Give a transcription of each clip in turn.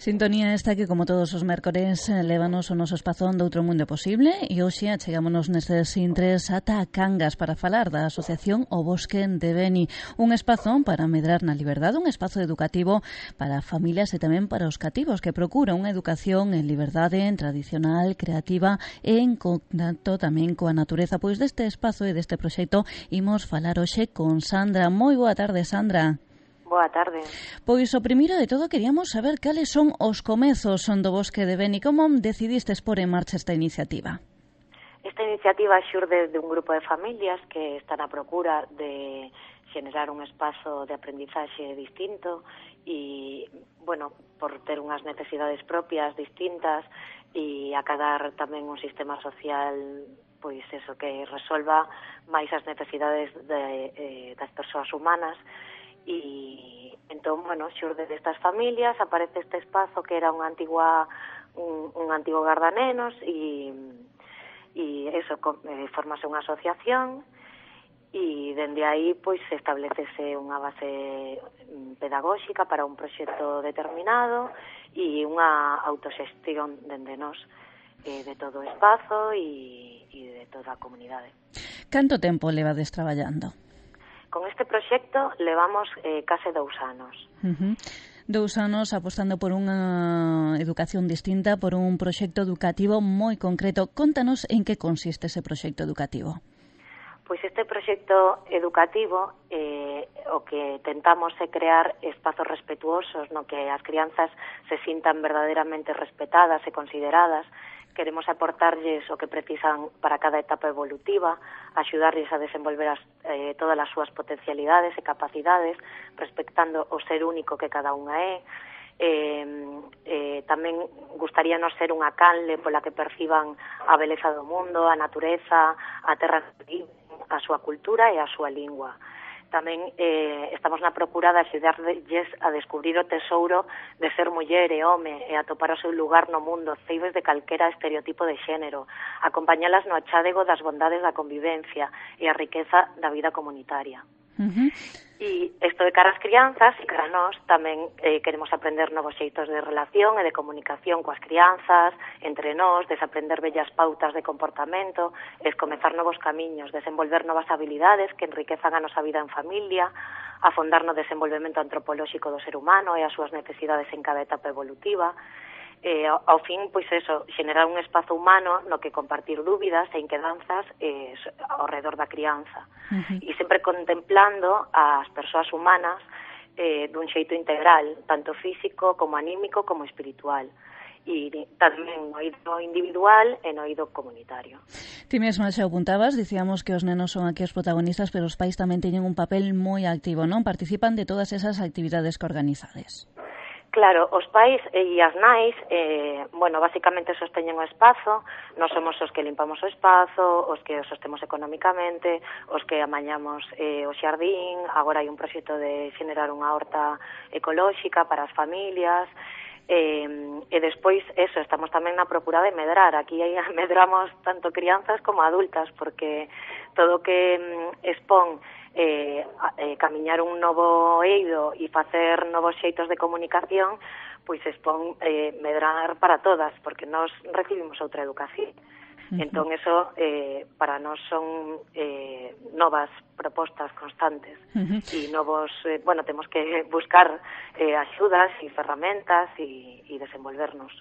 Sintonía esta que, como todos os mércores, lévanos o noso espazón de Outro Mundo Posible, e hoxe achegámonos nestes intres ata Cangas para falar da asociación O Bosque de Beni, un espazón para medrar na liberdade, un espazo educativo para familias e tamén para os cativos, que procura unha educación en liberdade, en tradicional, creativa e en contacto tamén coa natureza. Pois deste espazo e deste proxecto imos falar hoxe con Sandra. Moi boa tarde, Sandra. Boa tarde. Pois o primeiro de todo queríamos saber cales son os comezos do Bosque de Beni. Como decidistes pôr en marcha esta iniciativa? Esta iniciativa xurde de un grupo de familias que están a procura de xenerar un espazo de aprendizaxe distinto e, bueno, por ter unhas necesidades propias distintas e acadar tamén un sistema social, pois eso, que resolva máis as necesidades das persoas humanas. E entón, bueno, xurde destas familias aparece este espazo que era un antigo gardanenos e eso, formase unha asociación e dende aí pois establecese unha base pedagóxica para un proxecto determinado e unha autoxestión dende nós de todo o espazo e de toda a comunidade. Canto tempo levades traballando? Con este proxecto levamos case 2 anos. 2 anos apostando por unha educación distinta, por un proxecto educativo moi concreto. Contanos en que consiste ese proxecto educativo. Pois este proxecto educativo o que tentamos é crear espazos respetuosos no que as crianzas se sintan verdadeiramente respetadas e consideradas. Queremos aportarlles o que precisan para cada etapa evolutiva, axudarlles a desenvolver todas as súas potencialidades e capacidades, respectando o ser único que cada unha é. Tamén gustaríanos ser unha canle pola que perciban a beleza do mundo, a natureza, a terra, a súa cultura e a súa lingua. Tamén estamos na procura de axudarlles a descubrir o tesouro de ser muller e home e a topar o seu lugar no mundo, ceibes de calquera estereotipo de xénero, acompañalas no achádego das bondades da convivencia e a riqueza da vida comunitaria. E isto de cara ás crianzas e cara a nós tamén queremos aprender novos xeitos de relación e de comunicación coas crianzas, entre nós, desaprender bellas pautas de comportamento, comezar novos camiños, desenvolver novas habilidades que enriquezan a nosa vida en familia, afondar no desenvolvemento antropolóxico do ser humano e as súas necesidades en cada etapa evolutiva. Ao fin, pois eso, xenerar un espazo humano no que compartir dúbidas e inquedanzas ao redor da crianza. E sempre contemplando as persoas humanas dun xeito integral, tanto físico como anímico como espiritual. E tamén no eido individual e no eido comunitario. Ti mesma xa apuntabas, dicíamos que os nenos son aquí os protagonistas, pero os pais tamén teñen un papel moi activo, non? Participan de todas esas actividades que organizades. Claro, os pais e as nais, basicamente sosteñen o espazo, nós somos os que limpamos o espazo, os que o sostemos económicamente, os que amañamos o xardín, agora hai un proxecto de xenerar unha horta ecolóxica para as familias, e despois, estamos tamén na procura de medrar, aquí medramos tanto crianzas como adultas, porque todo o que expón camiñar un novo eido e facer novos xeitos de comunicación, pois expón medrar para todas, porque nós recibimos outra educación. Entón, eso para nós son novas propostas constantes e novos, temos que buscar axudas e ferramentas e desenvolvernos.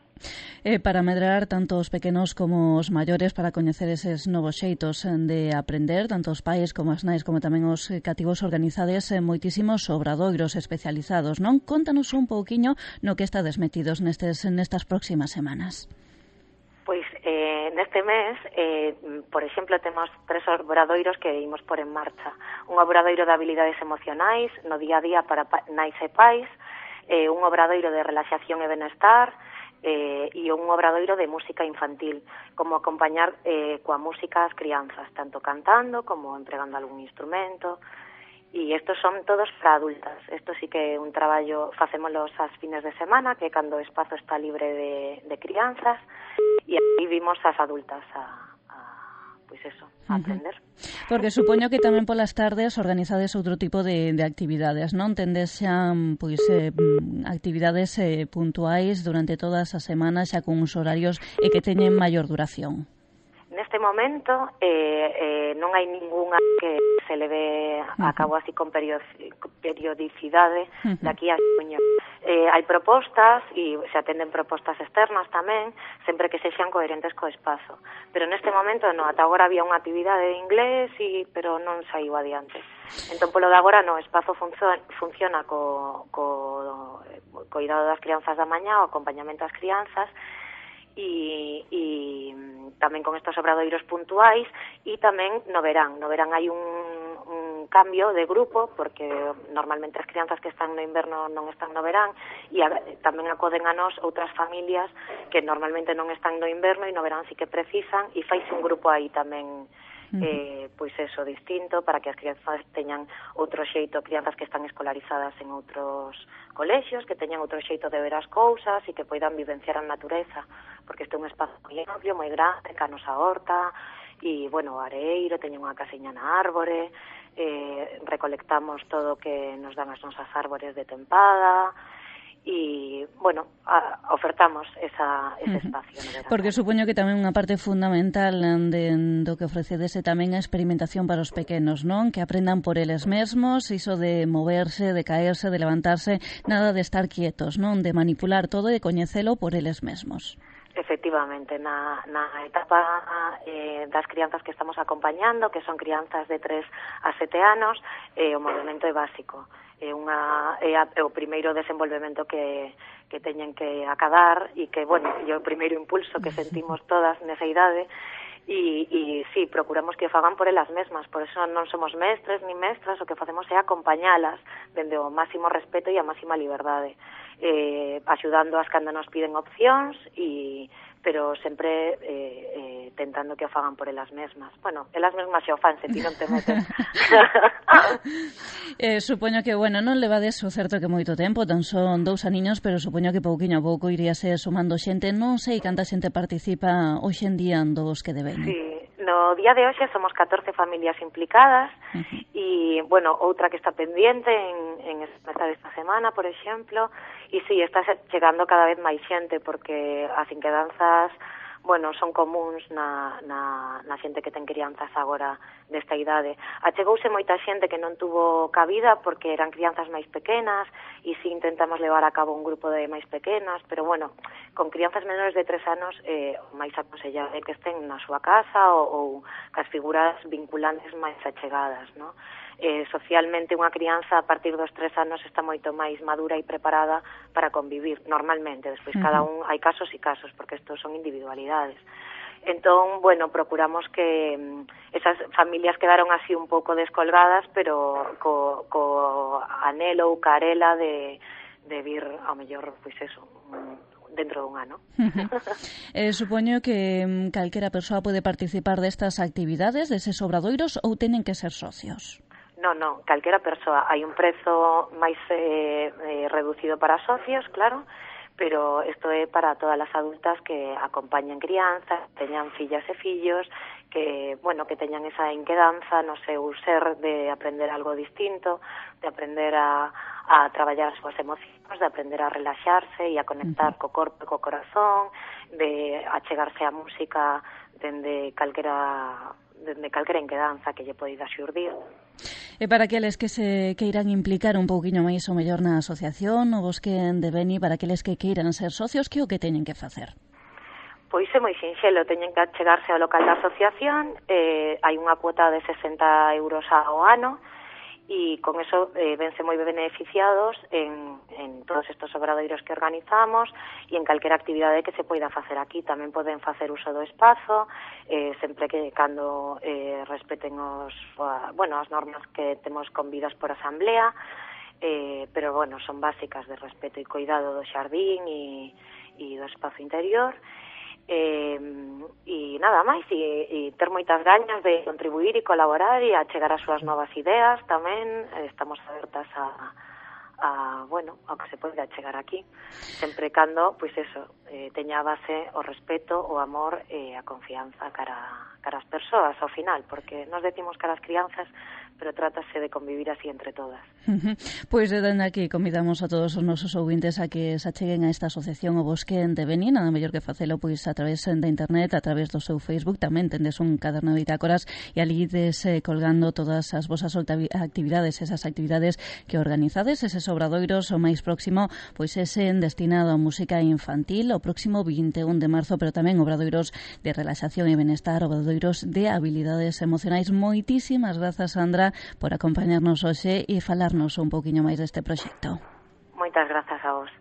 Para medrar tanto os pequenos como os maiores, para coñecer eses novos xeitos de aprender, tanto os pais como as nais como tamén os cativos, organizades moitísimos obradoiros especializados, non? Contanos un pouquiño no que estades metidos nestas próximas semanas. Pois neste mes, por exemplo, temos 3 obradoiros que imos por en marcha. Un obradoiro de habilidades emocionais no día a día para nais e pais, un obradoiro de relaxación e benestar, e un obradoiro de música infantil, como acompañar coa música as crianzas, tanto cantando como empregando algún instrumento. E estos son todos para adultas. Isto sí que é un traballo, facémolos as fines de semana, que cando o espazo está libre de crianzas, e aí vimos as adultas a aprender. Porque supoño que tamén polas tardes organizades outro tipo de actividades, non? Tendes xa pois, actividades puntuais durante todas as semanas xa con uns horarios e que teñen maior duración. Neste momento non hai ningunha que se leve a cabo así con periodicidade daqui a xuño. Hai propostas e se atenden propostas externas tamén, sempre que sexan coherentes co espazo. Pero neste momento non, ata agora había unha actividade de inglés, pero non saiu adiante. Entón, polo de agora, no, o espazo funciona co cuidado das crianzas da mañá, o acompañamento ás crianzas, e tamén con estos obradoiros puntuais, e tamén no verán hai un cambio de grupo, porque normalmente as crianzas que están no inverno non están no verán, e tamén acoden a nós outras familias que normalmente non están no inverno e no verán sí que precisan, e faise un grupo aí tamén pois eso, distinto, para que as crianzas teñan outro xeito, crianzas que están escolarizadas en outros colexios, que teñan outro xeito de ver as cousas e que poidan vivenciar a natureza, porque este é un espazo moi amplio, moi grande, canos a horta, e, bueno, o areiro, teñen unha casiña na árbore, recolectamos todo o que nos dan as nosas árbores de tempada, e, bueno, ofertamos ese espacio. Porque supoño que tamén unha parte fundamental do que ofrecedes é tamén a experimentación para os pequenos, non? Que aprendan por eles mesmos, iso de moverse, de caerse, de levantarse, nada de estar quietos, non? De manipular todo e de coñecelo por eles mesmos. Efectivamente, na etapa das crianzas que estamos acompañando, que son crianzas de 3 a 7 anos, o movimento é básico. É o primeiro desenvolvemento que teñen que acadar e que, bueno, é o primeiro impulso que sentimos todas nesa idade e sí, procuramos que o fagan por elas mesmas, por eso non somos mestres ni mestras, o que facemos é acompañalas dende o máximo respeto e a máxima liberdade, axudando as cando nos piden opcións, pero sempre tentando que o fagan por elas mesmas. Bueno, elas mesmas xa o fan, se ti non te metes. Supoño que, bueno, non levades o certo que moito tempo, tan son 2 aniños, pero supoño que pouquiño a pouco iríase sumando xente. Non sei canta xente participa hoxe en día dos que deben. Sí, no día de hoxe somos 14 familias implicadas e, bueno, outra que está pendiente en esta semana, por exemplo, e sí, está chegando cada vez máis xente porque as inquedanzas, bueno, son comuns na xente que ten crianzas agora desta idade. Achegouse moita xente que non tuvo cabida porque eran crianzas máis pequenas e si intentamos levar a cabo un grupo de máis pequenas, pero bueno, con crianzas menores de 3 anos o máis aconsellable que estén na súa casa ou cas figuras vinculantes máis achegadas, non? Socialmente unha crianza a partir dos 3 anos está moito máis madura e preparada para convivir normalmente, despois cada un hai casos e casos porque estos son individualidades. Entón, bueno, procuramos que esas familias quedaron así un pouco descolgadas, pero co anhelo ou carela de vir ao mellor, pois eso, dentro dun ano. Supoño que calquera persoa pode participar destas actividades, deses obradoiros, ou teñen que ser socios? Non, calquera persoa. Hai un prezo máis reducido para socios, claro, pero isto é para todas as adultas que acompañen crianzas, teñan fillas e fillos, que, bueno, que teñan esa inquedanza no seu ser de aprender algo distinto, de aprender a traballar as súas emocións, de aprender a relaxarse e a conectar co corpo e co corazón, de achegarse á música dende calquera inquedanza que lle poida xurdir. E para aqueles que se queiran implicar un pouquiño máis ou mellor na asociación, o Bosque de Beni, para aqueles que queiran ser socios, que o que teñen que facer? Pois é moi sinxelo, teñen que chegarse ao local da asociación, hai unha cuota de 60 euros ao ano, e con eso vense moi beneficiados en todos estes obradoiros que organizamos e en calquera actividade que se poida facer aquí. Tamén poden facer uso do espazo, sempre que cando respeten as normas que temos convidas por asamblea, pero, bueno, son básicas de respeto e cuidado do xardín e do espazo interior. E nada máis, e ter moitas gañas de contribuir e colaborar e a chegar as súas novas ideas tamén. Estamos abertas ao que se pode chegar aquí, sempre cando, pois eso, teña a base o respeto, o amor e a confianza cara as persoas ao final, porque nos decimos cara as crianzas, pero trátase de convivir así entre todas. Pois dende aquí convidamos a todos os nosos ouvintes a que se acheguen a esta asociación O Bosque de Beni, nada mellor que facelo pois a través de internet, a través do seu Facebook, tamén tendes un caderno de bitácoras e ali ides colgando todas as vosas actividades, esas actividades que organizades, eses obradoiros o máis próximo, pois ese destinado a música infantil o próximo 21 de marzo, pero tamén obradoiros de relaxación e benestar, obradoiros de habilidades emocionais. Moitísimas grazas, Sandra, por acompañarnos hoxe e falarnos un pouquiño máis deste proxecto. Moitas grazas a vos.